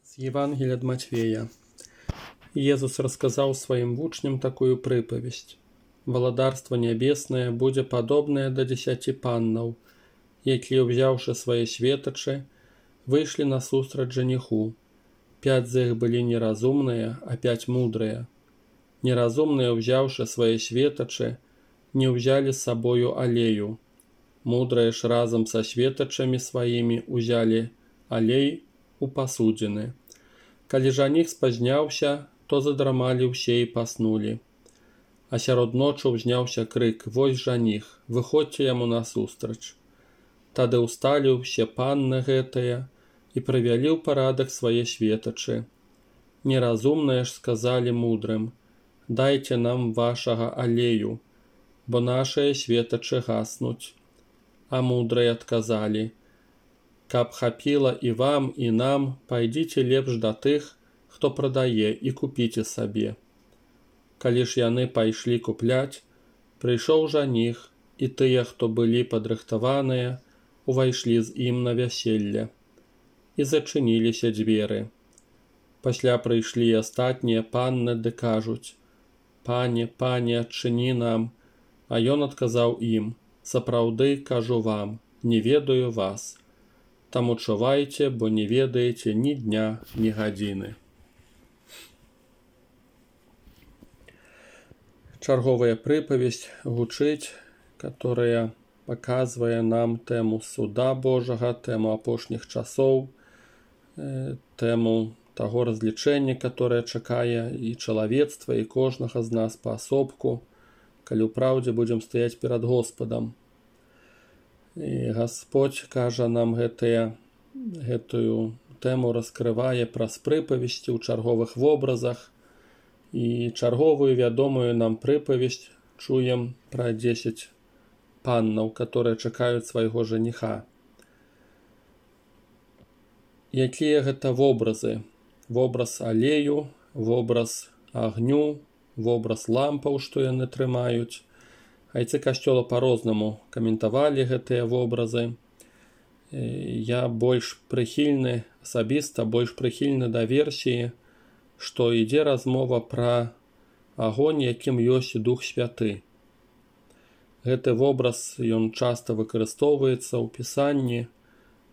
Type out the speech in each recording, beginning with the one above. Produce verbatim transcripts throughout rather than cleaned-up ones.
З Євангелія ад Матвея. Езус расказаў сваім вучням такую прыпавесць. Валадарства нябеснае будзе падобнае да дзесяці паннаў, якія, узяўшы свае светачы, выйшлі насустрач жаніху. Пяць з іх былі неразумныя, а пяць мудрыя. Неразумныя, узяўшы свае светачы, не ўзялі з сабою алею. Мудрыя ж разам са светачамі сваімі ўзялі алей у пасудзіны. Калі жаніх спазняўся, то задрамалі ўсе і паснулі. А сярод ночы ўзняўся крык: «Вось жаніх, выходзьце яму насустрач». Тады ўсталі ўсе панны гэтыя і прывялі ў парадак свае светачы. Неразумныя ж сказалі мудрым: «Дайце нам вашага алею, бо нашыя светачы гаснуць». А мудрыя адказалі: «Каб хапіла і вам, і нам, пайдзіце лепш да тых, хто прадае, і купіце сабе». Калі ж яны пайшлі купляць, прыйшоў жаніх, і тыя, хто былі падрыхтаваныя, увайшлі з ім на вяселле. І зачыніліся дзверы. Пасля прыйшлі і астатнія панны ды кажуць: «Пане, пане, адчыні нам». А ён адказаў ім: «Сапраўды, кажу вам, не ведаю вас. Таму чувайце, бо не ведаеце ні дня, ні гадзіны». Чарговая прыпавесць гучыць, которая паказвае нам тэму суда Божага, тэму апошніх часоў, тэму таго разлічэння, которое чакае і чалавецтва, і кожнага з нас паасобку, калі ў праўдзе будзем стаяць перад Господам. І Гасподзь кажа нам гэтыя, гэтую тэму раскрывае праз прыпавесці ў чарговых вобразах, і чарговую вядомую нам прыпавесць чуем пра дзесяць паннаў, которые чакаюць свайго жаніха. Якія гэта вобразы? Вобраз алею, вобраз агню, вобраз лампаў, што яны трымаюць. Айцы касцёла па-рознаму каментавалі гэтыя вобразы. Я больш прыхільны, асабіста больш прыхільны да версіі, што ідзе размова пра агонь, якім ёсць Дух Святы. Гэты вобраз, ён часта выкарыстоўваецца ў Пісанні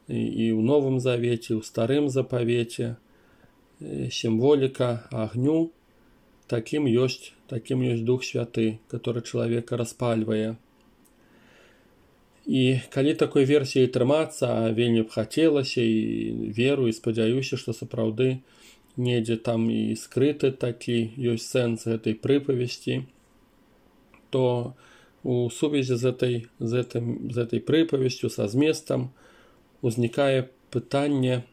і ў Новым Завеце, і ў Старым Запавеце. Сімволіка агню, такім ёсць, такім ёсць Дух Святы, который чалавека распальвае. І калі такой версіі трымацца, а вельмі б хацелася, і веру, і спадзяюся, што сапраўды недзе там і скрыты такі ёсць сэнс гэтай прыпавесці, то у сувязі з этой, з этим, з этой прыпавесцю, са зместам, узнікае пытанне,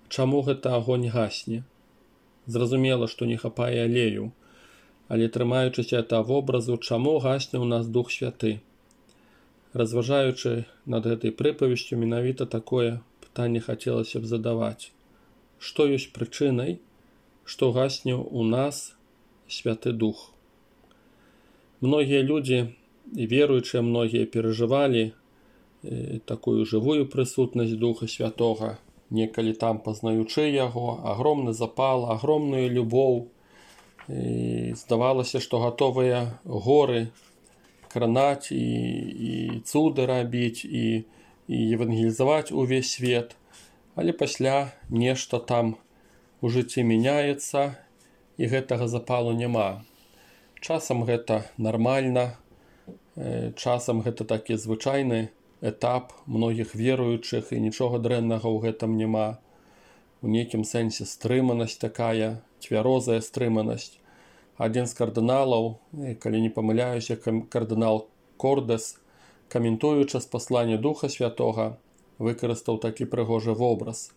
чаму гэта агонь гасне. Зразумела, што не хапае алею, але трымаючыся ад вобразу, чаму гасне ў нас Дух Святы. Разважаючы над гэтай прыпавесцю, менавіта такое пытанне хацелася б задаваць. Што ёсць прычынай, што гасне ў нас Святы Дух? Многія людзі, і веруючыя многія, перажывалі э, такую жывую прысутнасць Духа Святога, некалі там пазнаючы яго, агромны запал, агромную любоў. І здавалася, што гатовыя горы кранаць і, і цуды рабіць, і, і евангелізаваць увесь свет. Але пасля нешта там у жыцці мяняецца, і гэтага запалу няма. Часам гэта нармальна, часам гэта такі звычайны этап многіх веруючых, і нічога дрэннага ў гэтым няма. У нейкім сэнсе стрыманасць такая, цвярозая стрыманасць. Адзін з кардыналаў, калі не памыляюся, кардынал Кордэс, каментуючы з паслання Духа Святога, выкарыстаў такі прыгожы вобраз.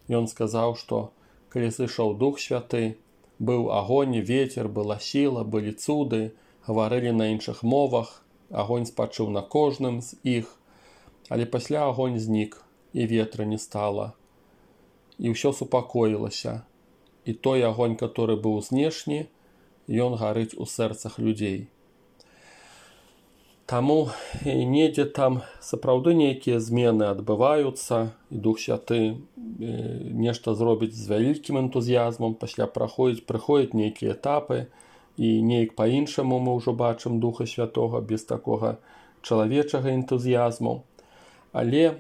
Ён сказаў, што калі сышоў Дух Святы, быў агонь, вецер, была сіла, былі цуды, гаварылі на іншых мовах, агонь спачыў на кожным з іх, але пасля агонь знік, і ветра не стала. І ўсё супакоілася. І той агонь, который быў знешні, ён гарыць у сэрцах людзей. Таму недзе там сапраўды нейкія змены адбываюцца, і Дух Святы нешта зробіць з вялікім энтузіязмам, пасля праходзіць, прыходзяць нейкія этапы, і неяк па-іншаму мы ўжо бачым Духа Святога без такога чалавечага энтузіязму. Але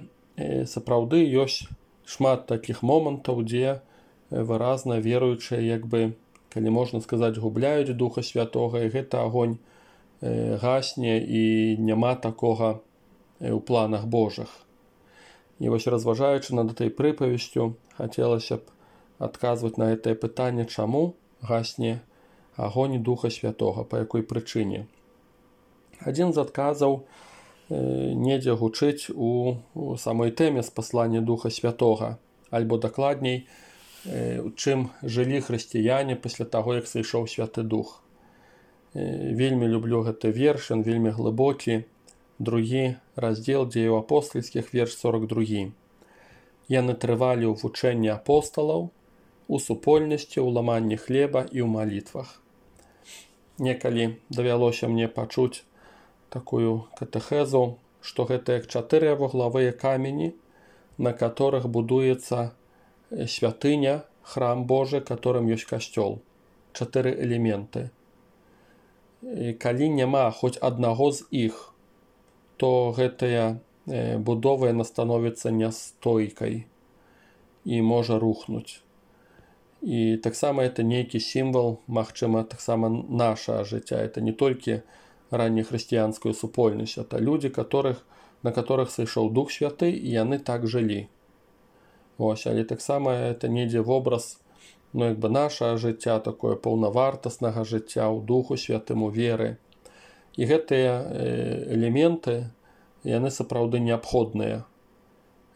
сапраўды ёсць шмат такіх момантаў, дзе выразна веруючыя, як бы, калі можна сказаць, губляюць Духа Святога, і гэты агонь гасне, і няма такога ў планах Божых. І вось, разважаючы над этой прыпавесцю, хацелася б адказваць на гэтае пытанне, чаму гасне агонь Духа Святога, па якой прычыне. Адзін з адказаў недзе гучыць у самой тэме спаслання Духа Святога, альбо дакладней, чым жылі хрысціяне пасля таго, як сышоў Святы Дух. Вельмі люблю гэты верш, ён вельмі глыбокі. Другі раздзел дзеяў апостальскіх, верш сорок другі. Яны трывалі ў вучэнні апосталаў, у супольнасці, ў ламанні хлеба і ў малітвах. Некалі давялося мне пачуць такую катэхезу, што гэта як чатыры вуглавыя камені, на которых будуецца святыня, храм Божы, которым ёсць касцёл. Чатыры элементы. І калі няма хоць аднаго з іх, то гэтая будова яна становіцца нястойкай і можа рухнуць. І таксама это нейкі сімвал, магчыма, таксама наша жыцця. Это не толькі раннехрысціянскую супольнасць, это людзі, которых, на которых сышоў Дух Святы, і яны так жылі. Ось, але таксама это недзе вобраз, ну, як бы наша жыцця, такое паўнавартаснага жыцця ў Духу Святым, у веры. І гэтыя элементы, яны сапраўды неабходныя.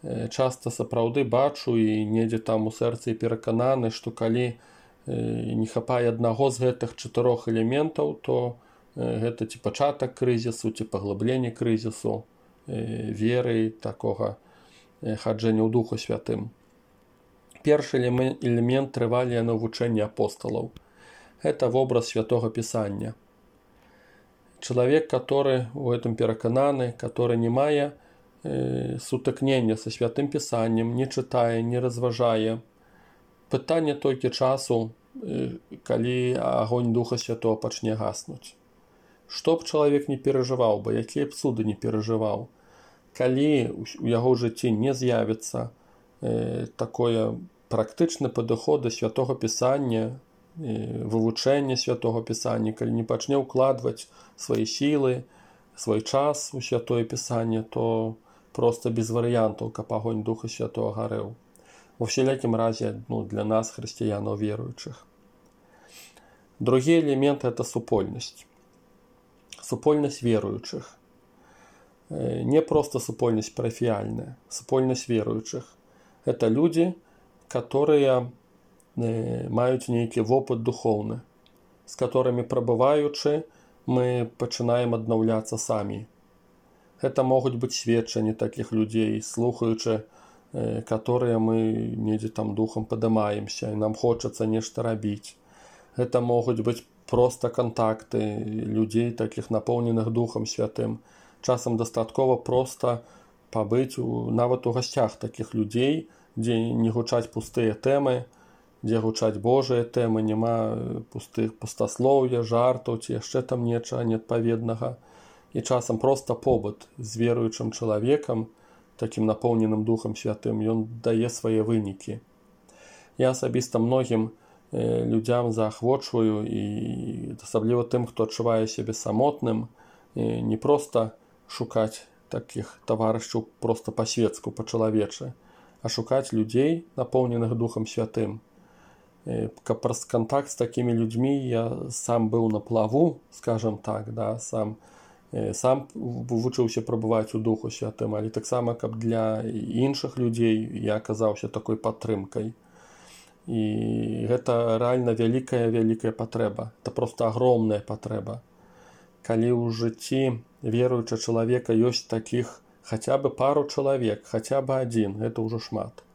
Часта сапраўды бачу і недзе там у сэрцы перакананы, што калі не хапае аднаго з гэтых чатырох элементаў, то гэта ці пачатак крызісу, ці паглыбленне крызісу веры, такога хаджэння ў Духу Святым. Першы элемент трывалі яны вучэння апосталаў. Это вобраз Святого Пісання. Чалавек, который у гэтым перакананы, который не мае э, сутыкнення са Святым Пісаннем, не чытае, не разважае. Пытанне толькі часу, э, калі агонь Духа Святого пачне гаснуць. Што б чалавек не перажываў бы, якія б цуды не перажываў, калі у яго жыцці не з'явіцца э, такое практычны падыход да Святога Пісання, вывучэння Святога Пісання, калі не пачне ўкладваць свае сілы, свой час у Святое Пісанне, то проста без варыянтаў, каб агонь Духа Святого гарэў. Ва ўсялякім разе, ну, для нас, хрысціянаў веруючых. Другі элемент – это супольнасць. Супольнасць веруючых. Не проста супольнасць парафіяльная, супольнасць веруючых. Это людзі, которые маюць нейкі вопыт духоўны, з которымі прабываючы, мы пачынаем аднаўляцца самі. Гэта могуць быць сведчанні такіх людзей, слухаючы, которые мы недзе там духам падымаемся, і нам хочацца нешта рабіць. Гэта могуць быць проста кантакты людзей, такіх напоўненых Духам Святым. Часам дастаткова проста пабыць у, нават у гасцях такіх людзей, дзе не гучаць пустыя тэмы, дзе гучаць Божыя тэмы, няма пустых пустаслоўя, жартаў, ці яшчэ там нечага неадпаведнага. І часам проста побыт з веруючым чалавекам, такім напоўненым Духам Святым, ён дае свае вынікі. Я асабіста многім э, людзям заахвочваю, і асабліва тым, хто адчувае сябе самотным, э, не проста шукаць такіх таварышаў проста па-светску, па-чалавечы, а шукаць людзей, напоўненых Духам Святым. Каб праз кантакт з такімі людзьмі я сам быў на плаву, скажам так, да, сам, сам вучыўся прабываць у Духу Святым, але таксама, каб для іншых людзей я аказаўся такой падтрымкай. І гэта рэальна вялікая-вялікая патрэба. Это проста агромная патрэба. Калі ў жыцці веруючага чалавека ёсць такіх хаця бы пару чалавек, хаця бы адзін, гэта ўжо шмат.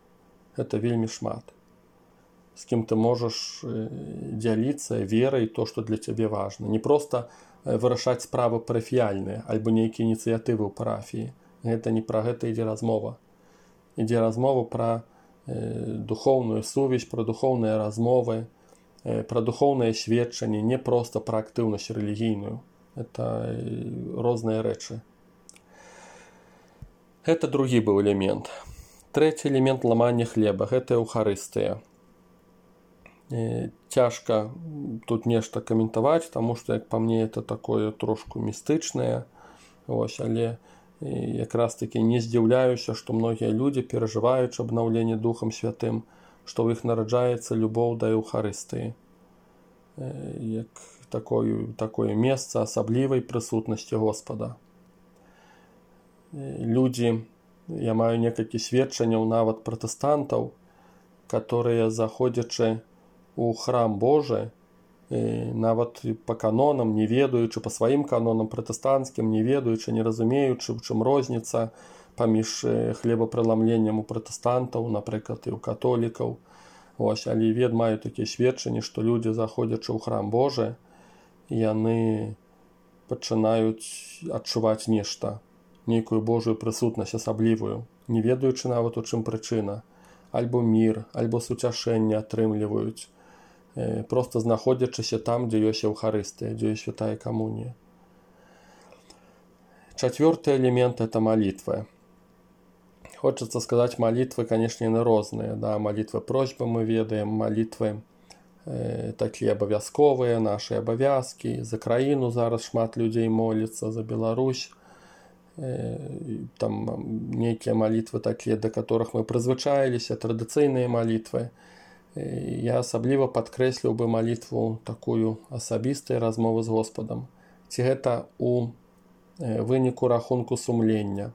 Гэта вельмі шмат. с кем ты можешь дзяліцца верай, то, што для цябе важна. Не проста вырашаць справы парафіяльныя альбо нейкія ініцыятывы ў парафіі. Гэта не пра гэта ідзе размова. Ідзе размова пра духоўную сувязь, пра духоўныя размовы, пра духоўнае сведчанне, не проста пра актыўнасць рэлігійную. Это розныя рэчы. Гэта другі быў элемент. Трэці элемент ламання хлеба, гэта эўхарыстыя. Цяжка тут нешта каментаваць, таму што, як па мне, это такое трошку містычнае. Ось, але якраз такі не здзіўляюся, што многія людзі перажываюць абнаўленне Духам Святым, што ў іх нараджаецца любоў да эўхарыстыі. Як такое, такое месца асаблівай прысутнасці Господа. Людзі, я маю некалькі сведчанняў нават пратэстантаў, которые, заходзячы у храм Божы, нават па канонам, не ведаючы, па сваім канонам пратэстанцкім, не ведаючы, не разумеючы, у чым розніца паміж хлебапрыламленнем у пратэстантаў, напрыклад, і ў католікаў. Ось, але вед маю такія сведчанні, што людзі, заходзячы ў храм Божы, яны пачынаюць адчуваць нешта, нейкую Божую прысутнасць асаблівую, не ведаючы нават, у чым прычына. Альбо мір, альбо суцяшэнне атрымліваюць, просто знаходзячыся там, дзе ёсць эўхарыстыя, дзе ёсць святая камунія. Чацвёрты элемент – это малітвы. Хочацца сказаць, малітвы, канешне, яны розныя. Да? Малітвы просьбы мы ведаем, малітвы э, такія абавязковыя, нашы абавязкі. За краіну зараз шмат людзей моліцца, за Беларусь. Там нейкія малітвы такія, да которых мы прызвычаіліся, традыцыйныя малітвы. Я асабліва падкрэсліў бы малітву такую асабістай размовы з Господам. Ці гэта у выніку рахунку сумлення,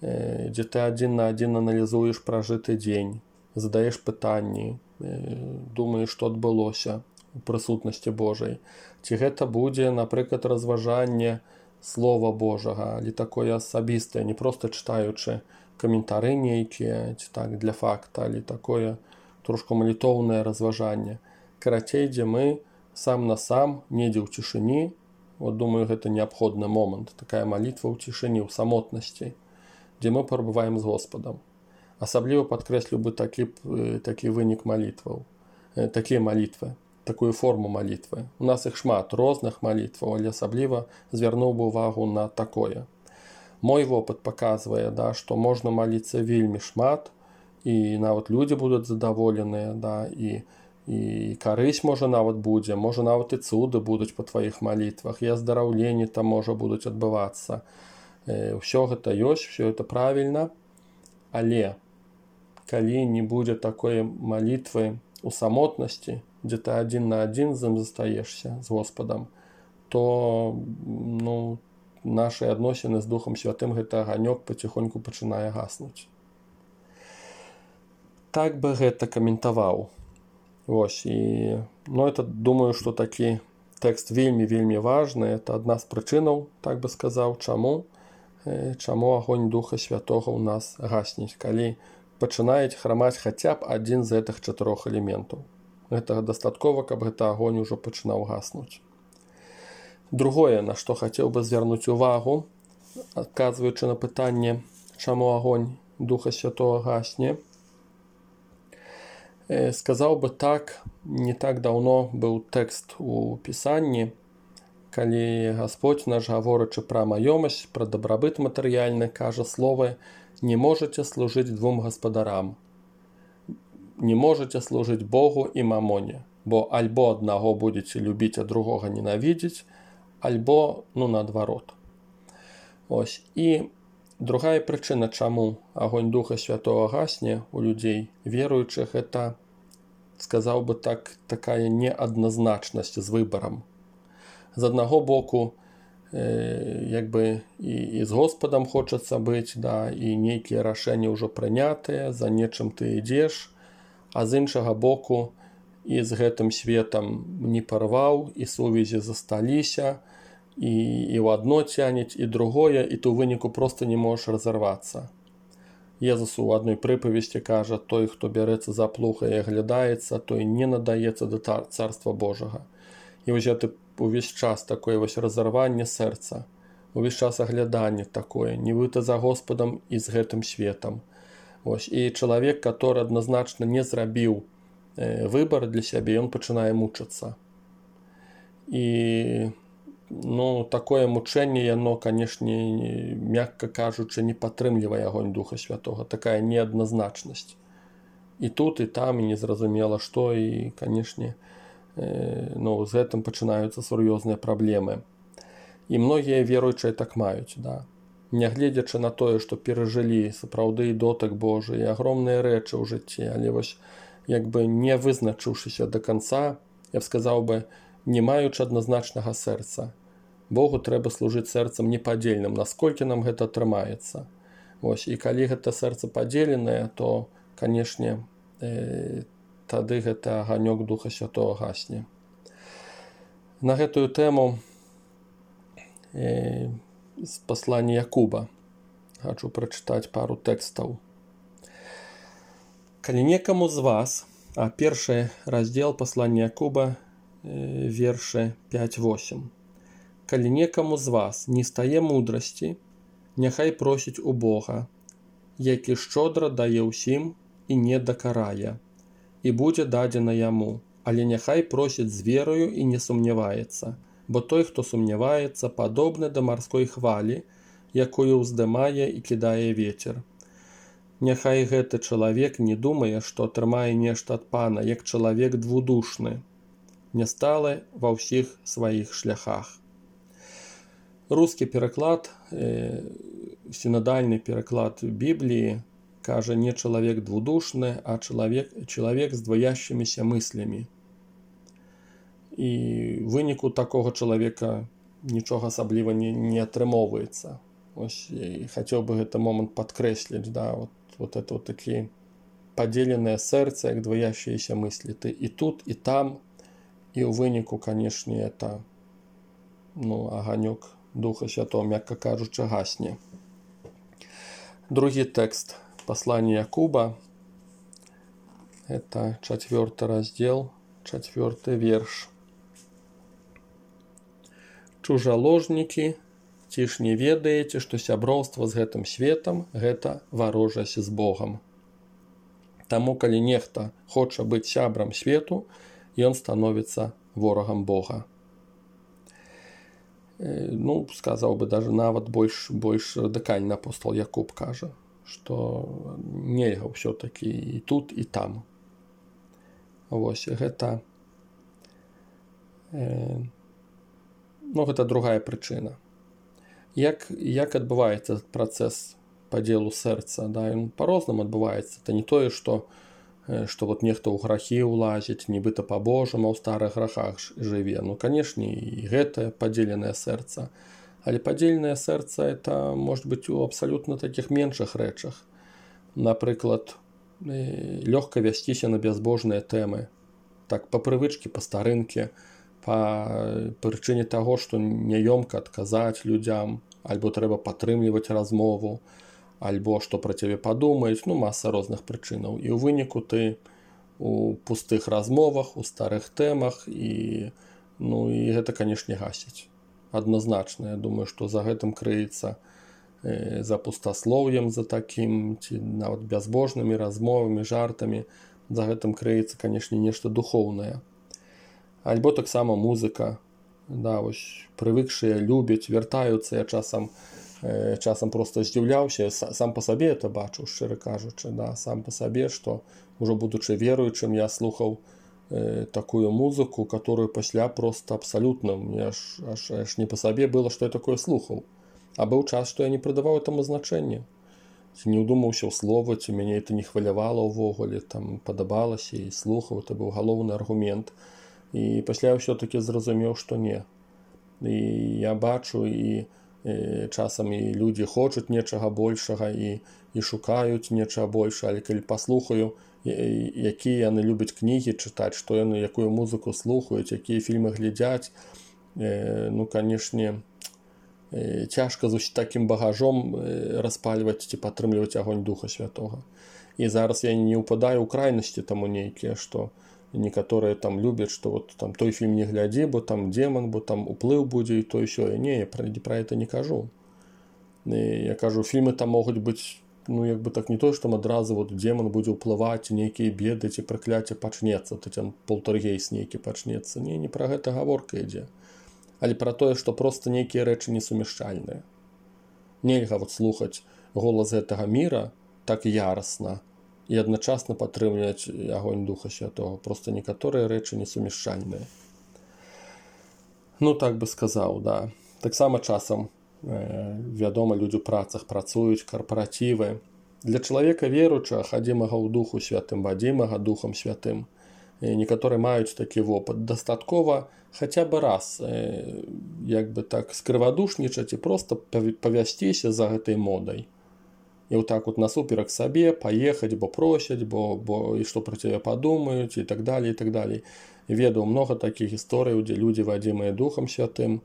дзе ты адзін на адзін аналізуеш пражыты дзень, задаеш пытанні, думаеш, што адбылося у прысутнасці Божай. Ці гэта будзе, напрыклад, разважанне Слова Божага, але такое асабістае, не проста чытаючы каментары нейкія, ці так для факта, але такое трошку малітоўнае разважанне. Карацей, дзе мы сам на сам, недзе ў цішыні, вот думаю, гэта неабходны момант, такая малітва ў цішыні, ў самотнасці, дзе мы перабываем з Господам. Асабліва падкрэсліў бы такі, такі вынік малітваў, такія малітвы, такую форму малітвы. У нас іх шмат розных малітваў, але асабліва звярнуў бы увагу на такое. Мой вопыт паказвае, да, што можна маліцца вельмі шмат, і нават людзі будуць задаволеныя, да, і, і карысць можа нават будзе, можа нават і цуды будуць па тваіх малітвах, і аздараўленні там можа будуць адбывацца. Усё гэта ёсць, усё гэта правільна, але калі не будзе такой малітвы у самотнасці, дзе ты адзін на адзін з ім застаешся, з Господам, то ну, нашы адносіны з Духам Святым гэты аганёк паціхоньку пачынае гаснуць. Так бы гэта каментаваў. Вось, і, ну, это, думаю, што такі тэкст вельмі-вельмі важны. Это адна з прычынаў, так бы сказаў, чаму, чаму агонь Духа Святога ў нас гасніць, калі пачынаюць храмаць хаця б адзін з гэтых чатырох элементаў. Гэтага дастаткова, каб гэты агонь ужо пачынаў гаснуць. Другое, на што хацеў бы звярнуць увагу, адказваючы на пытанне, чаму агонь Духа Святога гасне, сказаў бы так, не так даўно быў тэкст у Пісанні, калі Гасподзь наш, гаворачы пра маёмасць, пра дабрабыт матэрыяльны, кажа словы: «Не можаце служыць двум гаспадарам, не можаце служыць Богу і мамоне, бо альбо аднаго будзеце любіць, а другога ненавідзець, альбо, ну, наадварот». Ось, і другая прычына, чаму агонь Духа Святого гасне у людзей веруючых, это, сказаў бы так, такая неадназначнасць з выбарам. З аднаго боку, э, як бы і, і з Господам хочацца быць, да, і нейкія рашэнні ўжо прынятыя, за нечым ты ідзеш, а з іншага боку і з гэтым светам не парваў, і сувязі засталіся, і, і ў адно цянець, і другое, і ты ў выніку проста не можаш разарвацца. Езус у адной прыпавесці кажа: той, хто бярэцца за плуг і аглядаецца, той не надаецца да царства Божага. І вось гэта увесь час такое вось разарванне сэрца, увесь час агляданне такое, нібыта за Господам і з гэтым светам. Ось. І чалавек, который адназначна не зрабіў выбар для сябе, ён пачынае мучыцца. І ну, такое мучэнне, яно, канешне, мякка кажучы, не падтрымлівае агонь Духа Святога, такая неадназначнасць. І тут, і там, і незразумела што, і, канешне, э, ну, з гэтым пачынаюцца сур'ёзныя праблемы. І многія веруючыя так маюць, да. Нягледзячы на тое, што перажылі сапраўды дотык Божы і агромныя рэчы ў жыцці, але вось, як бы не вызначыўшыся да канца, я б сказаў бы, не маючы адназначнага сэрца. Богу трэба служыць сэрцам непадзельным, насколькі нам гэта атрымаецца. Ось, і калі гэта сэрца падзеленае, то, канешне, э, тады гэта аганёк Духа Святого гасне. На гэтую тэму э, з паслання Якуба хачу прачытаць пару тэкстаў. Калі некаму з вас, а першы раздзел паслання Якуба, вершы пяць восем. Калі некаму з вас не стае мудрасці, няхай просіць у Бога, які шчодра дае ўсім і не дакарае, і будзе дадзена яму, але няхай просіць з верою і не сумняваецца, бо той, хто сумняваецца, падобны да марской хвалі, якую ўздымае і кідае вецер. Няхай гэты чалавек не думае, што атрымае нешта ад Пана, як чалавек двудушны, не сталы ва ўсіх сваіх шляхах. Рускі пераклад, э, сінодальны пераклад Бібліі кажа не чалавек двудушны, а чалавек, чалавек з дваящымися мыслямі. І ў выніку такога чалавека нічога асабліва не, не атрымоўваецца. Ось, і хацеў бы гэты момант падкрэсліць, да, вот, вот это вот такі падзеленае сэрца, як дваящиеся мыслі. Ты і тут, і там, і ў выніку, канешне, это ну, аганёк Духа Святого, мякка кажучы, гасне. Другі тэкст паслання Якуба, это чацвёрты раздзел, чацвёрты верш. Чужаложнікі, ці ж не ведаеце, што сяброўства з гэтым светам – гэта варожасць з Богам. Таму, калі нехта хоча быць сябрам свету, ён становіцца ворагам Бога. Ну, сказаў бы, даже нават больш, больш радыкальны апостол Якуб кажа, што нельга ўсё-такі і тут, і там. Вось, гэта, э, ну, гэта другая прычына. Як, як адбываецца працэс падзелу сэрца? Да, ён па-рознаму адбываецца. Это не тое, што што вот нехто ў грахі ўлазіць, нібыта па-божаму, ў старых грахах жыве. Ну, канешне, і гэта падзеленае сэрца. Але падзеленае сэрца – это можа быць у абсалютна такіх меншых рэчах. Напрыклад, лёгка вясціся на бязбожныя тэмы. Так, па прывычкі, па старынкі, па прычыне таго, што няёмка адказаць людзям, альбо трэба падтрымліваць размову, альбо што пра цябе падумаюць, ну, маса розных прычынаў. І ў выніку ты у пустых размовах, у старых тэмах, і, ну, і гэта, канешне, гасіць. Адназначна, я думаю, што за гэтым крыецца э, за пустаслоўем, за такім, ці нават бязбожнымі размовамі, жартамі, за гэтым крыецца, канешне, нешта духоўнае. Альбо таксама музыка, да, вось, прывыкшыя, любяць, вяртаюцца, я часам часам просто здзіўляўся, сам па сабе это бачу, шчыра кажучы, да, сам па сабе, што ўжо будучы веруючым, я слухаў э, такую музыку, которую пасля просто абсалютна, мне аж, аж, аж не па сабе было, што я такое слухаў. А быў час, што я не прыдаваў этому значэння. Ці не ўдумаўся ў словы, ці мяне это не хвалявала ўвогуле, там падабалася і слухаў, это быў галоўны аргумент. І пасля я ўсё-такі зразумеў, што не. І я бачу, і часам і людзі хочуць нечага большага і, і шукаюць нечага большага, але калі паслухаю, якія яны любяць кнігі чытаць, што яны, якую музыку слухаюць, якія фільмы глядзяць, ну, канешне, цяжка з такім багажом распальваць ці падтрымліваць агонь Духа Святога. І зараз я не ўпадаю ў крайнасці таму нейкія, што некаторыя там любяць, што вот там той фільм не глядзі, бо там демон, бо там уплыў будзе і то ўсё. Не, я пра, пра гэта не кажу. Я кажу, фільмы там могуць быць, ну як бы так не то, што адразу вот демон будзе ўплываць, нейкія беды ці пракляцце пачнецца, то там полтергейст нейкі пачнецца. Не, не пра гэта гаворка ідзе. Але пра тое, што проста нейкія рэчы несумяшчальныя. Нельга вот слухаць голас гэтага міра так ярасна і адначасна падтрымліваць агонь Духа Святога. Проста некаторыя рэчы несумяшчальныя. Ну, так бы сказаў, да. Таксама часам, э, вядома, людзі ў працах працуюць, карпаратывы. Для чалавека веруючага, хадзімага ў Духу Святым, вадзімага Духам Святым, некаторыя маюць такі вопыт. Дастаткова хаця бы раз э, як бы так скрывадушнічаць і проста павясціся за гэтай модай. І вот так вот насуперак сабе паехаць, бо просяць, бо, бо і што пра цябе падумаюць, і так далей, і так далей. Ведаў многа такіх гісторыяў, дзе людзі, вадзімыя Духам Святым,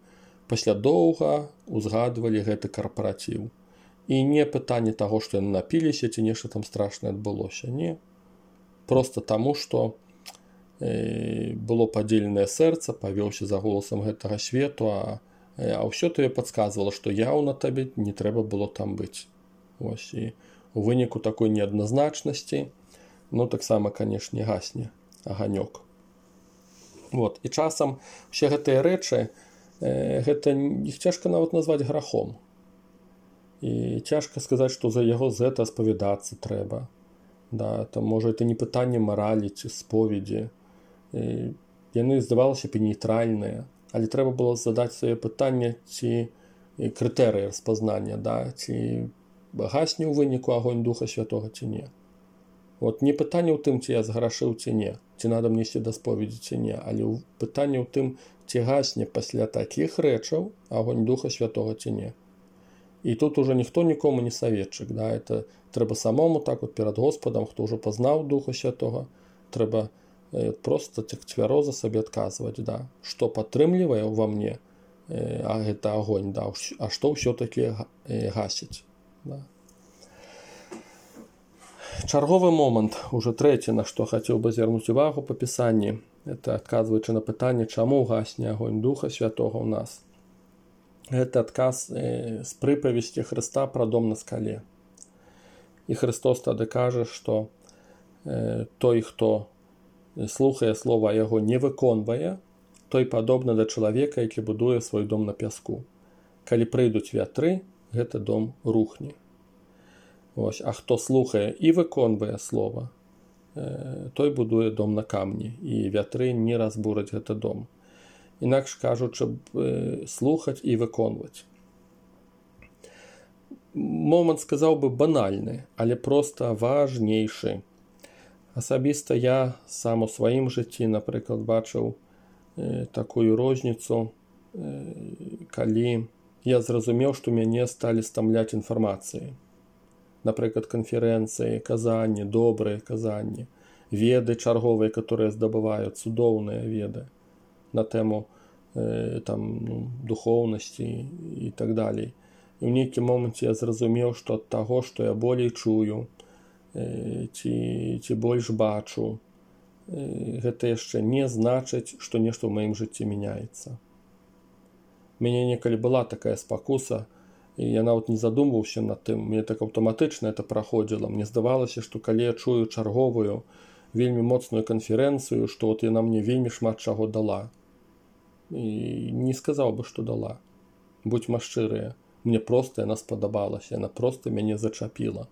пасля доўга узгадвалі гэты карпаратыў. І не пытанне таго, што яны напіліся, ці нешта там страшнае адбылося. Не. Проста таму, што было падзеленае сэрца, павёўся за голасам гэтага свету, а, а ўсё табе падказвала, што яўна табе не трэба было там быць. Вось, і у выніку такой неадназначнасці, ну, таксама, канешне, гасне аганёк. Вот. І часам усе гэтыя рэчы, э, гэта іх цяжка нават назваць грахом. І цяжка сказаць, што за яго з гэта спавядацца трэба. Да, там, можа, это не пытанне маралі ці споведзі. І яны, здавалася б, нейтральныя, але трэба было задаць сваё пытанне, ці крытэрыі распазнання, да, ці гасне ў выніку агонь Духа Святога, ці не. Вот не пытанне ў тым, ці я зграшыў, ці не, ці надо мне ісці да споведзі, ці не, але пытанне ў тым, ці гасне пасля такіх рэчаў агонь Духа Святога, ці не. І тут уже ніхто нікому не саветчык, да, это трэба самому так вот перад Господам, хто ўжо пазнаў Духа Святога, трэба просто цвяроза сабе адказваць, да, што падтрымлівае ўва мне, э, а гэта агонь, да, а што ўсё-такі э, гасіць. Да. Чарговы момант, уже трэці, на што хацеў бы звярнуць увагу па пісанні, это адказваючы на пытанне, чаму гасне агонь Духа Святога ў нас. Гэта адказ э, з прыпавесці Хрыста пра дом на скале. І Христос тады кажа, што э, той, хто слухае слова, а яго не выконвае, той падобны да чалавека, які будуе свой дом на пяску. Калі прыйдуць вятры, гэты дом рухне. Ось, а хто слухае і выконвае слова, той будуе дом на камні, і вятры не разбураць гэты дом. Інакш кажучы, слухаць і выконваць. Момант, сказаў бы, банальны, але проста важнейшы. Асабіста я сам у сваім жыцці, напрыклад, бачыў э, такую розніцу, э, калі я зразумеў, што мяне сталі стамляць інфармацыі. Напрыклад, канферэнцыі, казанні, добрыя казанні, веды чарговыя, которые здабываюць, цудоўныя веды на тэму э, там, ну, духоўнасці і так далей. І ў нейкім моманце я зразумеў, што ад таго, што я болей чую, ці, ці больш бачу, гэта яшчэ не значыць, што нешта ў маім жыцці мяняецца. Мяне некалі была такая спакуса, і я нават не задумваўся над тым, мне так аўтаматычна это праходзіла. Мне здавалася, што калі я чую чарговую, вельмі моцную канферэнцыю, што от яна мне вельмі шмат чаго дала. І не сказаў бы, што дала. Будзьма шчырыя, мне проста яна спадабалася, яна проста мяне зачапіла.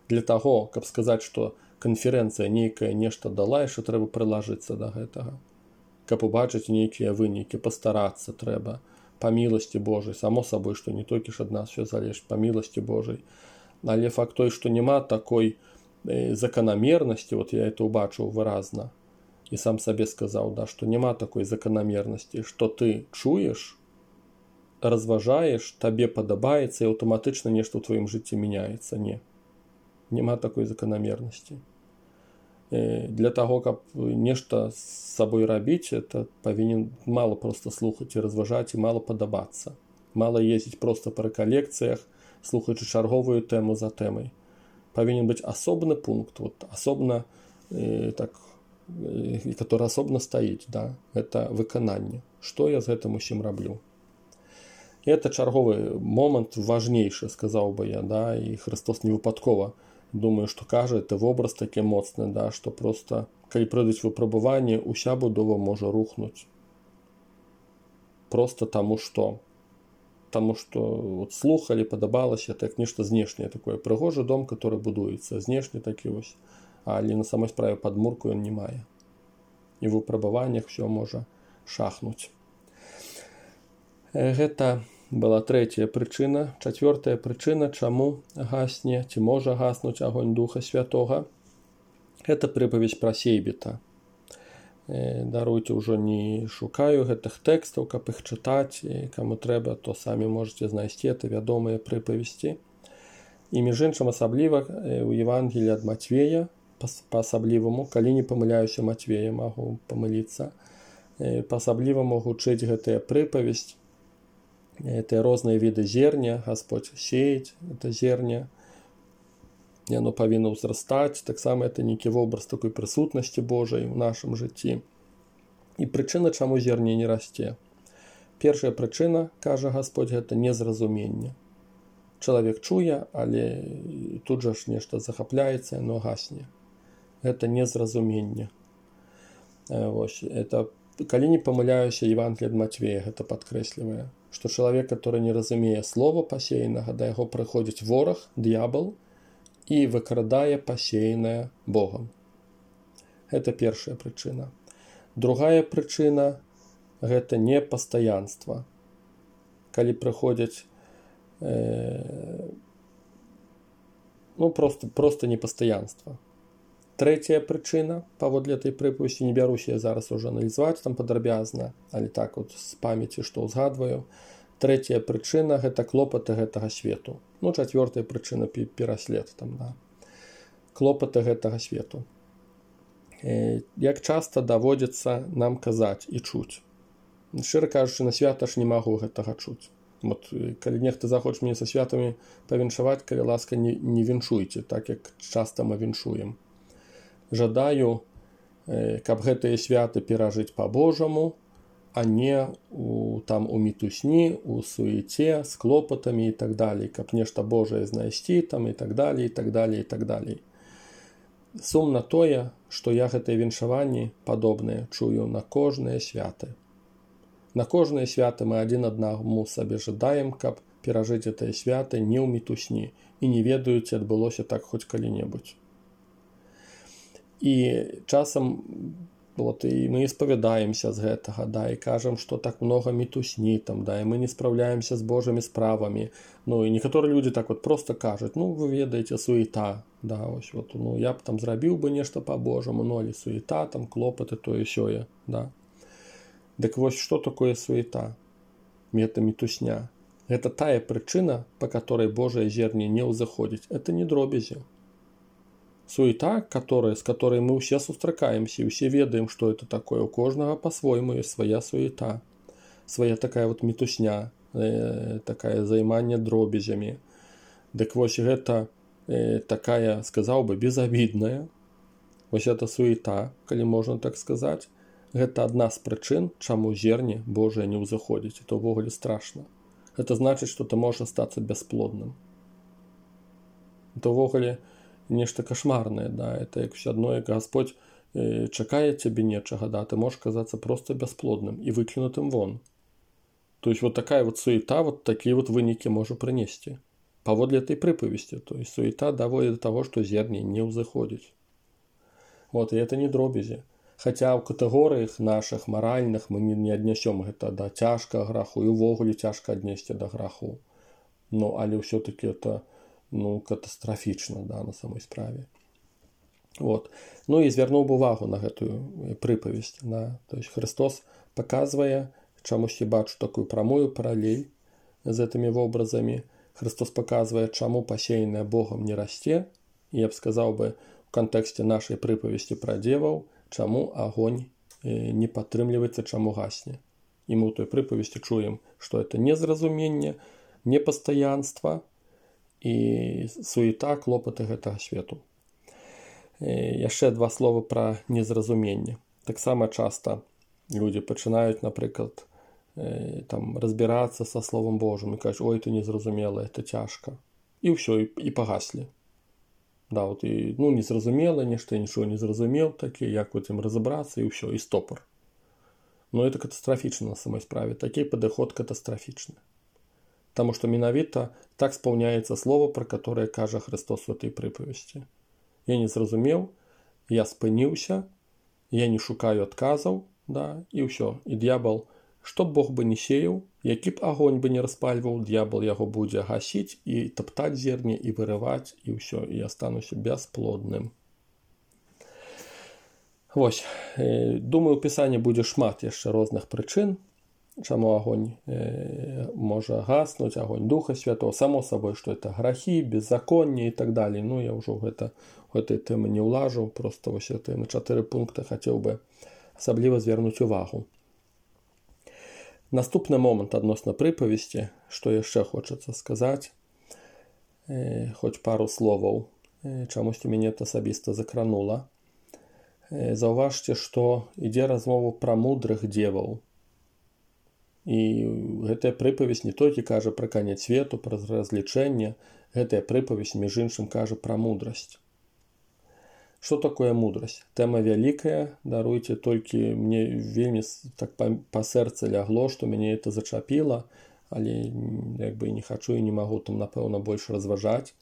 Для таго, каб сказаць, што канферэнцыя нейкая нешта дала, яшчэ трэба прылажыцца да гэтага. Каб убачыць нейкія вынікі, пастарацца трэба. Па міласці Божай, само сабой, што не толькі ж ад нас все залежыць, па міласці Божай. Але факт той, што няма такой э, заканамернасці, вот я это убачыў выразна, і сам сабе сказаў, да, што няма такой заканамернасці, што ты чуеш, разважаеш, табе падабаецца, і аўтаматычна нешта ў тваім жыцці мяняецца. Не. Няма такой заканамернасці. Для таго, каб нешта з сабой рабіць, это павінен мала проста слухаць і разважаць, і мала падабацца. Мала ездзіць проста па рэкалекцыях, слухаючы чарговую тэму за тэмай. Павінен быць асобны пункт, вот, асобна, э, так, э, который асобна стаіць, да? Это выкананне. Што я з гэтым усім раблю? І это чарговы момант важнейшы, сказаў бы я, да? І Христос не выпадкова, думаю, што кажа, это вобраз такі моцны, да? Што проста, калі прыйдуць выпрабаванні, уся будова можа рухнуць. Просто таму што. Таму што вот, слухалі, падабалася, это як нешта знешняе такое. Прыгожы дом, который будуецца, знешні такі вось. Але на самой справе падмурку ён не мае. І в выпрабаваннях все можа шахнуць. Гэта была трэцяя прычына. Чацвёртая прычына, чаму гасне, ці можа гаснуць агонь Духа Святога. Гэта прыпаведзь пра сейбіта. Даруйце, ўжо не шукаю гэтых тэкстаў, каб іх чытаць, і каму трэба, то самі можете знайсці, это вядомыя прыпавесці. І між іншым асабліва у Евангеліі ад Матвея, па-асабліваму, калі не памыляюся Матвея, магу памыліцца, па-асабліваму гучыць гэтая прыпавесць, это розныя віды зерня, Гасподзь сеяць это зерня, яно павінна ўзрастаць, таксама это нейкі вобраз такой прысутнасці Божай у нашым жыцці. І прычына, чаму зерне не расце. Першая прычына, кажа Гасподзь, гэта незразуменне. Чалавек чуе, але тут жа ж нешта захапляецца, яно гасне. Гэта незразуменне. Вось, это, калі не памыляюся, Евангелие ад Матвея гэта падкрэслівае, што чалавек, который не разумее слова пасеянага, да яго прыходзіць вораг, д'ябал, і выкрадае пасеянае Богам. Гэта першая прычына. Другая прычына – гэта непастаянства. Калі прыходзяць э, ну, просто, просто непастаянства. Трэцяя прычына, паводле этой прыпавесці, не бяруся я зараз уже аналізаваць там падрабязна, але так вот з памяці, што ўзгадваю. Трэцяя прычына – гэта клопаты гэтага свету. Ну, чацвёртая прычына – пераслед там, да. Клопаты гэтага свету. Э, як часта даводзіцца нам казаць і чуць. Шчыра кажучы, на свята ж не магу гэтага чуць. Вот, калі нехта захоча мяне са святамі павіншаваць, калі ласка, не, не віншуйце, так як часта мы віншуем. Жадаю, э, каб гэтыя святы перажыць па-божаму, а не у, там, у мітусні, у суеце, з клопатамі і так далей, каб нешта Божае знайсці там і так далей, і так далей, і так далей. Сумна тое, што я гэтыя віншаванні падобныя чую на кожныя святы. На кожныя святы мы адзін аднаму сабе жадаем, каб перажыць гэтыя святы не ў мітусні і не ведаю, ці адбылося так хоць калі-небудзь. І часам вот, і мы спавядаемся з гэтага, да, і кажам, што так много мітусні, там, да, і мы не спраўляемся з Божымі справамі. Ну, і некаторыя людзі так вот просто кажуць, ну, вы ведаеце, суета, да, ось, вот, ну, я б там зрабіў бы нешта па-божаму, ну, але суета, там, клопаты, тое-сёе, да. Дык вось, што такое суета? Гэта мітусня. Гэта тая прычына, па которой Божае зерне не ўзыходзіць. Это не дробязі. Суета, которая, с которой мы все сустракаемся, и все ведаем, что это такое. У кожнага по-свойму есть своя суета, своя такая вот мітусня, э, такая займанне дробязямі. Дык вось гэта э, такая, сказаў бы, безобидная. Вось эта суета, калі можна так сказаць, гэта адна з прычын, чаму зерне Божае не ўзыходзіць. Это ўвогуле страшна. Это значыць, што ты можаш стацца бясплодным. Это ўвогуле нешта кошмарнае, да, это як все адно, як Гасподзь э, чакае цябе нечага, да, ты можаш казацца просто бясплодным і выкінутым вон. То есть вот такая вот суета, вот такие вот вынікі можа прынесці. Паводле этой прыпавесці, то есть суета даводзіць до того, што зерне не ўзыходзіць. Вот, і это не дробязі. Хаця ў катэгорыях нашых маральных мы не, не аднясём гэта да цяжкага граху, і ўвогуле цяжка аднесці да граху. Ну, але ўсё-таки это ну, катастрафічна, да, на самой справе. Вот. Ну і звярнуў бы увагу на гэтую прыпавесць. Да. То есть Христос паказвае, чамусьці бачу такую прамую паралель з гэтымі вобразамі. Христос паказвае, чаму пасеянае Богам не расце. І я б сказаў бы у кантэксце нашай прыпавесці пра дзеваў, чаму агонь не падтрымліваецца, чаму гасне. І мы ў той прыпавесці чуем, што это незразуменне, непастаянства і суета, клопаты гэтага свету. Яшчэ два словы пра незразуменне. Таксама часта людзі пачынаюць, напрыклад, там, разбірацца са Словом Божым і кажуць, ой, ты незразумела, это цяжка. І ўсё, і, і пагаслі. Да, от, і, ну, незразумела, нешта, нічого не зразумеў такі, як вот ім разабрацца, і ўсё, і стопор. Но это катастрафічна на самой справе. Такі падыход катастрафічны. Таму што менавіта так спаўняецца слово, пра которое кажа Христос у этой прыпавесці. Я не зразумеў, я спыніўся, я не шукаю адказаў, да, і ўсё. І д'ябал, што б Бог бы не сеяў, які б агонь бы не распальваў, д'ябал яго будзе гасіць і таптаць зерне, і вырываць, і ўсё, і я стануся бясплодным. Вось, думаю, у Пісанні будзе шмат яшчэ розных прычын, чаму агонь э, можа гаснуць, агонь Духа Святого, само сабой, што это грахі, беззаконне і так далей. Ну, я ўжо гэта, гэтай тэмы не ўлажу, проста вось это на чатыры пункты хацеў бы асабліва звярнуць увагу. Наступны момант адносна прыпавесці, што яшчэ хочацца сказаць, э, хоць пару словаў, э, чамусьці мяне это асабіста закранула. Э, заўважце, што ідзе размова пра мудрых дзеваў. І гэтая прыпавесць не толькі кажа пра канец свету, пра разлічэнне, гэтая прыпавесць, між іншым, кажа пра мудрасць. Што такое мудрасць? Тэма вялікая, даруйце, толькі мне вельмі так па, па сэрцы лягло, што мяне это зачапіла, але як бы не хачу і не магу там, напэўна, больш разважаць.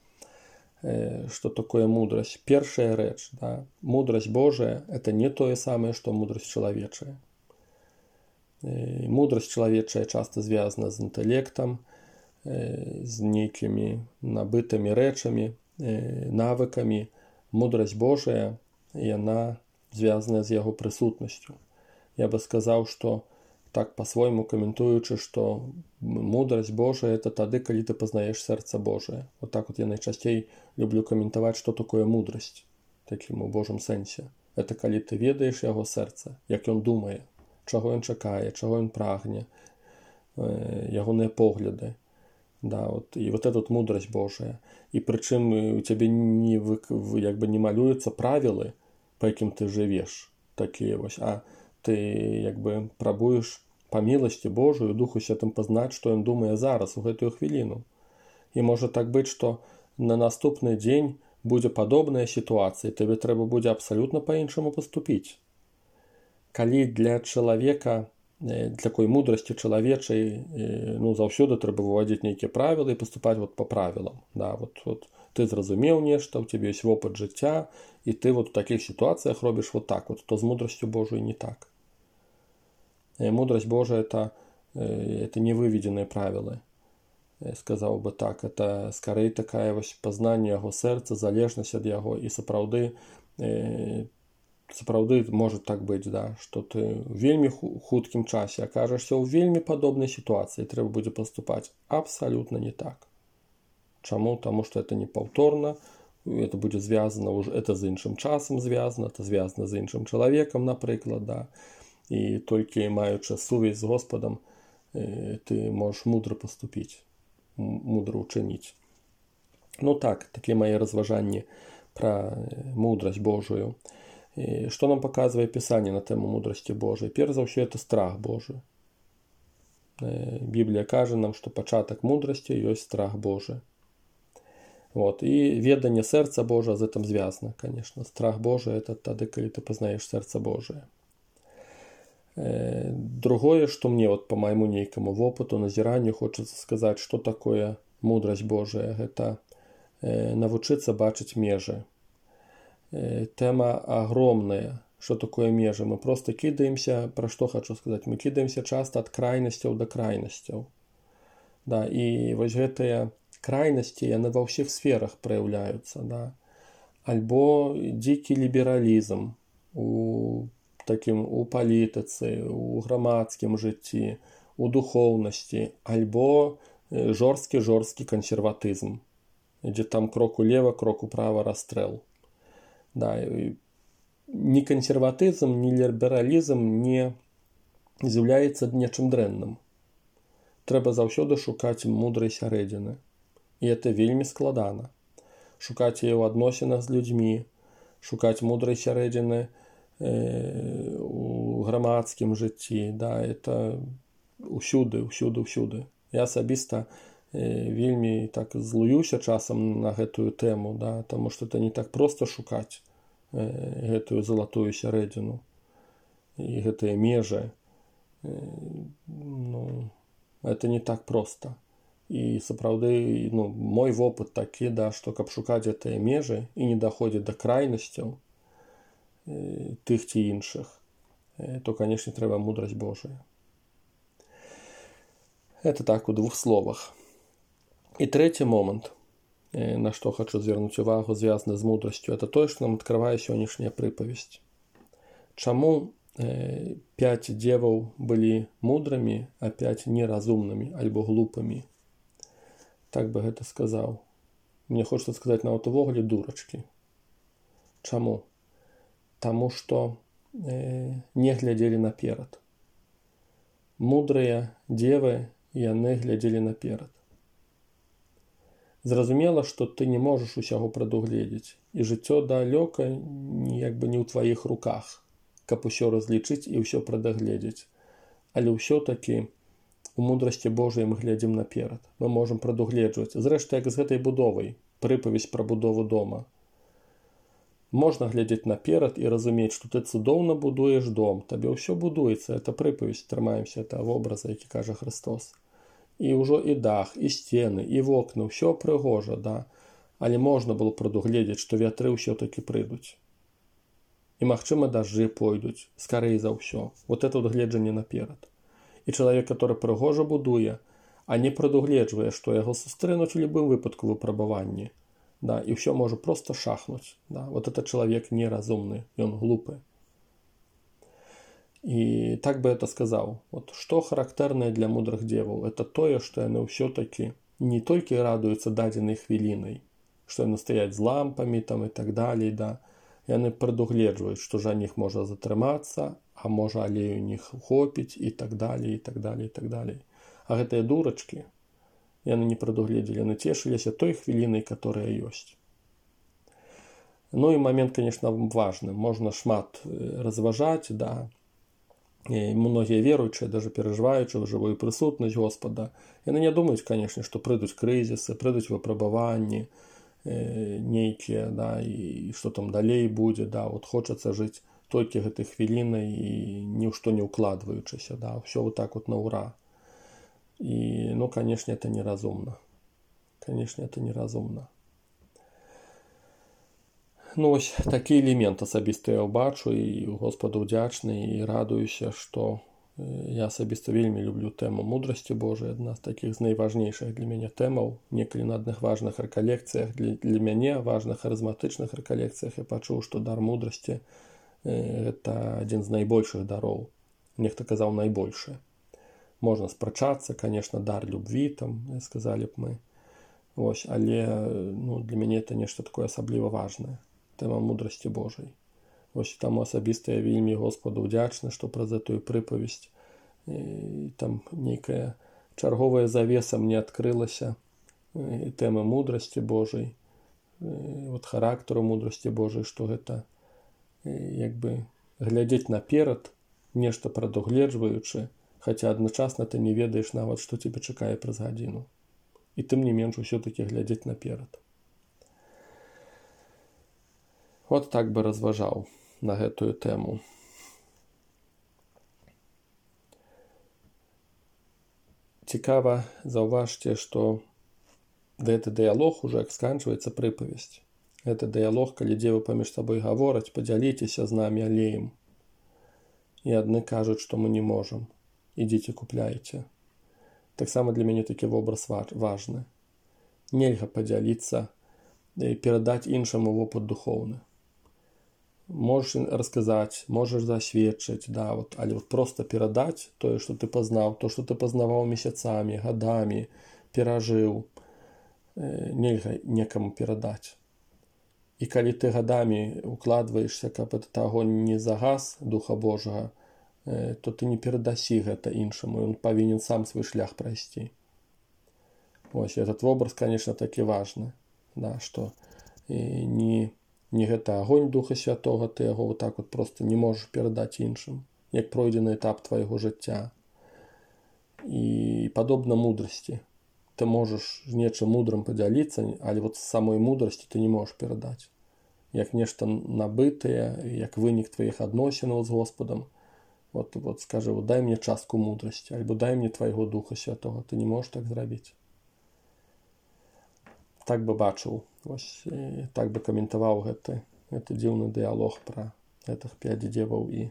Э, што такое мудрасць? Першая рэч, да, мудрасць Божая – это не тое самае, што мудрасць чалавечая. Э, мудрасць чалавечая часта звязана з інтэлектам, э, з нейкімі набытымі рэчамі, э, навыкамі. Мудрасць Божая, яна звязана з яго прысутнасцю. Я бы сказаў, што так па-свойму каментуючы, што мудрасць Божая – это тады, калі ты пазнаеш сэрца Божае. Вот так вот я найчасцей люблю каментаваць, што такое мудрасць, такім у Божым сэнсе. Это калі ты ведаеш яго сэрца, як ён думае, чаго ён чакае, чаго ён прагне, ягоныя погляды. Да, вот, і вот эта вот мудрость Божая. І прычым у цябе не, як бы не малююцца правілы, па якім ты жывеш, такія вось, а ты як бы прабуеш па міласці Божую, Духу Святым пазнаць, што ён думае зараз, у гэтую хвіліну. І можа так быць, што на наступны дзень будзе падобная сітуацыя, табе трэба будзе абсалютна па-іншаму паступіць. Калі для чалавека, для такой мудрасці чалавечай, ну, заўсёды трэба выводзіць нейкія правілы і паступаць вот па правілам. Да, вот, вот, ты зразумеў нешта, у цябе ёсць вопыт жыцця, і ты вот у такіх сітуацыях робіш вот так вот, то з мудрасцю Божай не так. И мудрость Божия это, это не выведенные правила. Я сказал бы так, это скорее такая вось познание яго сэрца, залежнасць ад яго, і сапраўды сапраўды может так быць, да, што ты в вельмі хуткім часе акажешся ў вельмі падобнай сітуацыі, трэба будзе паступаць абсалютна не так. Чаму? Таму што это не паўторна, это будзе звязана уже, это з іншым часам звязана, это звязана з іншым чалавекам, напрыклад, да. І толькі маючы сувязь з Господам, ты можаш мудра паступіць, мудра учыніць. Ну так, такія мае разважанні пра мудрасць Божую. І што нам паказвае Пісанне на тэму мудрасці Божай? Перш за ўсё, это страх Божы. Біблія кажа нам, што пачатак мудрасці ёсць страх Божы. Вот. І веданне сэрца Божа з гэтым звязана, конечно. Страх Божы – это тады, калі ты пазнаеш сэрца Божае. Другое, што мне вот по майму нейкаму вопыту, назіранню хочацца сказаць, што такое мудрасць Божая. Гэта навучыцца бачыць межы. Тэма агромная. Што такое межы? Мы проста кідаемся, пра што хочу сказаць, мы кідаемся часта ад крайнасцяў да крайнасцяў. Да, і вось гэтыя крайнасці, яны ва ўсіх сферах праяўляюцца. Да. Альбо дзікі лібералізм у такім у палітыцы, у грамадскім жыцці, у духоўнасці, альбо жорсткі-жорсткі кансерватызм, дзе там крок улева, крок управа, расстрэл. Да, ні кансерватызм, ні лібералізм не, з'яўляецца нечым дрэнным. Трэба заўсёды шукаць мудрай сярэдзіны. І гэта вельмі складана. Шукаць яе ў адносінах з людзьмі, шукаць мудрай сярэдзіны э, у грамадскім жыцці. Да, это ўсюды, ўсюды, ўсюды. Я асабіста э, вельмі так злуюся часам на гэтую тэму, да, таму што это не так проста шукаць э, гэтую залатую сярэдзіну і гэтыя межы. Э, ну, это не так проста. І сапраўды, ну, мой вопыт такі, да, што каб шукаць гэтыя межы і не даходзіць да крайнасцяў э, тых ці іншых, э, то, канешне, трэба мудрасць Божая. Это так у двух словах. І трэці момант, э, на што хочу звярнуць увагу, звязаны з мудрасцю, это тое, што нам адкрывае сённяшняя прыпавесць. Чаму э, пяць дзеваў былі мудрымі, а пяць неразумнымі альбо глупымі? Так бы гэта сказаў. Мне хочется сказаць нават увогуле дурачкі. Чаму? Таму што э, не глядзелі наперад. Мудрыя дзевы, яны глядзелі наперад. Зразумела, што ты не можаш усяго прадугледзець, і жыццё далёка як бы не ў тваіх руках, каб усё разлічыць і ўсё прадагледзець. Але ўсё-такі у мудрасці Божай мы глядзім наперад. Мы можам прадугледжваць. Зрэшты, як з гэтай будовай, прыпавесць пра будову дома. Можна глядзець наперад і разумець, што ты цудоўна будуеш дом. Табе ўсё будуецца. Это прыпавесць, трымаемся этого вобраза, які кажа Христос. І ўжо і дах, і сцены, і вокны, ўсё прыгожа, да. Але можна было прадугледзець, што вятры ўсё-такі прыйдуць. І, магчыма, дажджы пойдуць, скарэй за ўсё. Вот это вот гледжанне наперад. І чалавек, который прыгожа будуе, а не прадугледжвае, што яго сустрэнуць у любым выпадку выпрабаванні, да, і ўсё можа проста шахнуць. Да. Вот это чалавек неразумны, ён глупы. І так бы это сказаў. Вот, што характэрнае для мудрых дзеваў? Это тое, што яны ўсё-такі не толькі радуюцца дадзенай хвілінай, што яны стаяць з лампамі там, і так далей, да. Яны прадугледжваюць, што жаніх можа затрымацца, а можа алею не хопіць, і так далей, і так далей, і так далей. А гэтыя дурачкі, яны не прадугледзелі, яны цешыліся той хвілінай, которая ёсць. Ну і момент, конечно, важны. Можна шмат разважаць, да. І многія веруючыя, даже перажываючы ў жывую прысутнасць Господа, яны не думаюць, конечно, што прыйдуць крызісы, прыйдуць выпрабаванні э, нейкія, да, і што там далей будзе, да, вот хочацца жыць толькі гэтай хвілінай і ні ў што не ўкладваючыся, да, ўсё вот так вот на ура. І, ну, конечно, это неразумна. Конечно, это неразумна. Ну, ось такі элемент асабіста я ўбачу, і Господу ўдзячны, і радуюся, што я асабіста вельмі люблю тэму мудрасці Божай, адна з такіх з найважнейшых для мяне тэмаў. Некалі на адных важных рэкалекцыях, для, для мяне важных харызматычных рэкалекцыях я пачуў, што дар мудрасці – гэта адзін з найбольшых дароў. Нехта казаў найбольшы. Можна спрачацца, конечно, дар любві, там, сказалі б мы. Ось, але ну, для мяне это нешта такое асабліва важнае. Тэма мудрасці Божай. Ось таму асабіста я вельмі Господу ўдзячны, што праз гэтую прыпавесць і, там нейкая чарговая завеса мне адкрылася і тэмы мудрасці Божай, і, вот характару мудрасці Божай, што гэта як бы глядзець наперад, нешта прадугледжваючы, хаця адначасна ты не ведаеш нават, што цябе чакае праз гадзіну. І тым не менш усё-такі глядзець наперад. Вот так бы разважаў на гэтую тэму. Цікава, заўважце, што гэты дыялог ужо як сканчваецца прыпавесць. Гэта дыялог, калі дзевы паміж сабой гавораць, падзяліцеся з намі алеем. І адны кажуць, што мы не можам. Ідзіце купляйце. Таксама для мяне такі вобраз важны. Нельга падзяліцца і перадаць іншаму вопыт духоўны. Можаш расказаць, можаш засведчыць, да, вот, але вот проста перадаць тое, што ты пазнаў, то, што ты пазнаваў месяцамі, гадамі, перажыў, нельга некаму перадаць. І калі ты гадамі укладваешся, каб этот агонь не загас Духа Божага то ты не перадасі гэта іншаму, ён павінен сам свой шлях прайсці. Вось этот вобраз, конечно, такі важны, да, што не, не гэта агонь Духа Святога, ты яго вот так вот просто не можаш перадаць іншым, як пройдзены этап твайго жыцця. І падобна мудрасці. Ты можаш з нечым мудрым падзяліцца, але вот з самой мудрасці ты не можаш перадаць. Як нешта набытае, як вынік тваіх адносінаў з Господам. Вот, вот скажи, вот дай мне частку мудрасці, альбо дай мне твайго Духа Святога. Ты не можаш так зрабіць. Так бы бачыў, вось, так бы каментаваў гэты, гэты дзіўны дыялог пра гэтых пяць дзеваў і,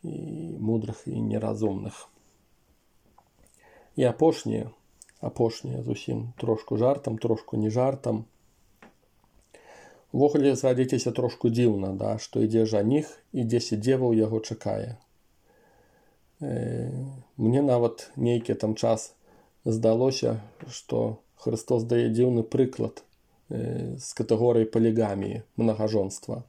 і мудрых і неразумных. І апошняе, апошняе зусім трошку жартам, трошку не жартам. Увогуле, згадзіцеся, трошку дзіўна, да, што ідзе жаніх і дзесяць дзеваў яго чакае. Э, мне нават нейкі там час здалося, што Христос дае дзіўны прыклад э, з катэгорыі палігаміі, мнагажонства.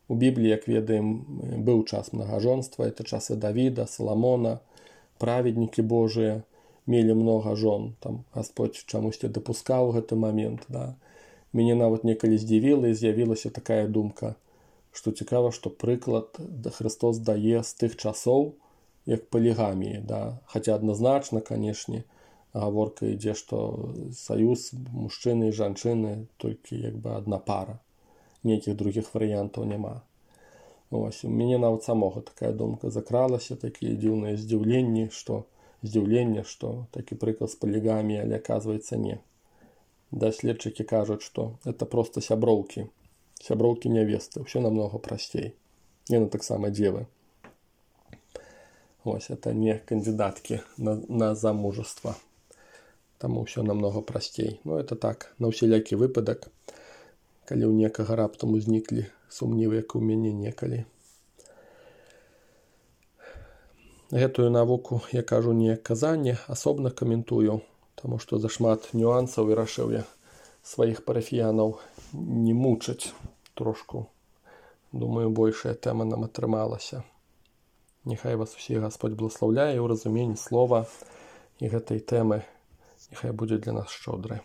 У Бібліі, як ведаем, быў час мнагажонства, это часы Давіда, Саламона, праведнікі Божыя мелі многа жон. Там Господь чамусьці дапускаў гэты момент, да. Мяне нават некалі здзівіла і з'явілася такая думка, што цікава, што прыклад Христос дае з тых часоў, як палігаміі, да. Хаця адназначна, канешне, гаворка ідзе, што саюз мужчыны і жанчыны толькі як бы адна пара. Нейкіх другіх варыянтаў няма. Ось, у мяне нават самога такая думка закралася, такія дзіўныя здзіўленні, што здзіўленне, што такі прыклад з палігаміі, але аказваецца не. Даследчыкі кажуць, што это проста сяброўкі, сяброўкі нявесты, ўсё намного прасцей. Яны таксама дзевы. Ось, это не кандидаткі на, на замужество. Таму ўсё намного прасцей. Ну, это так, на ўсялякі выпадак, калі ў некага раптам узніклі сумнівы, як у мяне некалі. Гэтую навуку я кажу не казанне, асобна каментую, таму што зашмат нюансаў і рашыў я сваіх парафіянаў не мучыць трошку. Думаю, большая тэма нам атрымалася. Няхай вас усіх Господь благослаўляе ў разуменні слова і гэтай тэмы. Няхай будзе для нас шчодры.